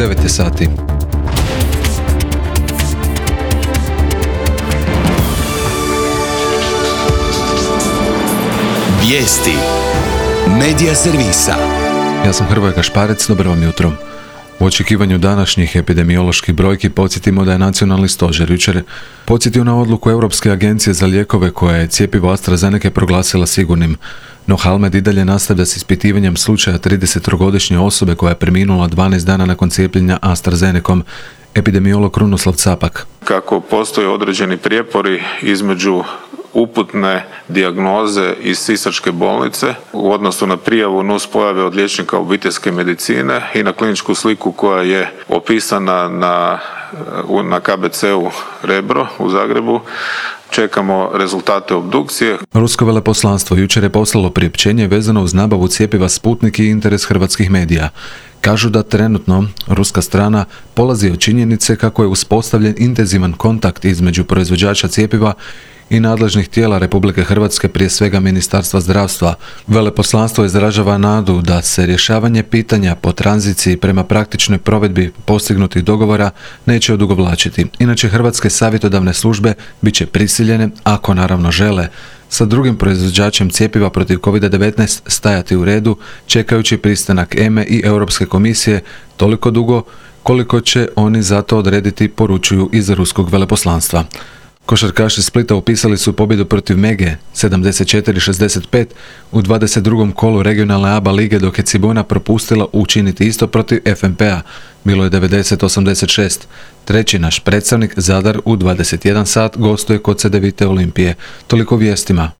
9 sati. Vijesti Medija servisa. Ja sam Hrvoje Gašparec, dobro vam jutro. U očekivanju današnjih epidemioloških brojki podsjetimo da je Nacionalni stožer jučer podsjetio na odluku Europske agencije za lijekove koja je cjepivo AstraZeneca proglasila sigurnim. No Halmed i dalje nastavlja s ispitivanjem slučaja 33-godišnje osobe koja je preminula 12 dana nakon cijepljenja AstraZenecom. Epidemiolog Krunoslav Capak. Kako postoje određeni prijepori između uputne dijagnoze iz Sisačke bolnice u odnosu na prijavu nuspojave od liječnika obiteljske medicine i na kliničku sliku koja je opisana na KBC-u Rebro u Zagrebu, čekamo rezultate obdukcije. Rusko veleposlanstvo jučer je poslalo priopćenje vezano uz nabavu cjepiva Sputnik i interes hrvatskih medija. Kažu da trenutno ruska strana polazi od činjenice kako je uspostavljen intenzivan kontakt između proizvođača cjepiva i nadležnih tijela Republike Hrvatske, prije svega Ministarstva zdravstva. Veleposlanstvo izražava nadu da se rješavanje pitanja po tranziciji prema praktičnoj provedbi postignutih dogovora neće odugovlačiti. Inače, hrvatske savjetodavne službe bit će prisiljene, ako naravno žele, sa drugim proizvođačem cjepiva protiv COVID-19 stajati u redu, čekajući pristanak EME i Europske komisije toliko dugo koliko će oni za to odrediti, poručuju iz ruskog veleposlanstva. Košarkaši Splita upisali su pobjedu protiv Mege 74-65 u 22. kolu regionalne ABA lige, dok je Cibona propustila učiniti isto protiv FNP-a. Bilo je 90-86. Treći naš predstavnik Zadar u 21 sat gostuje kod Cedevite Olimpije. Toliko vijestima.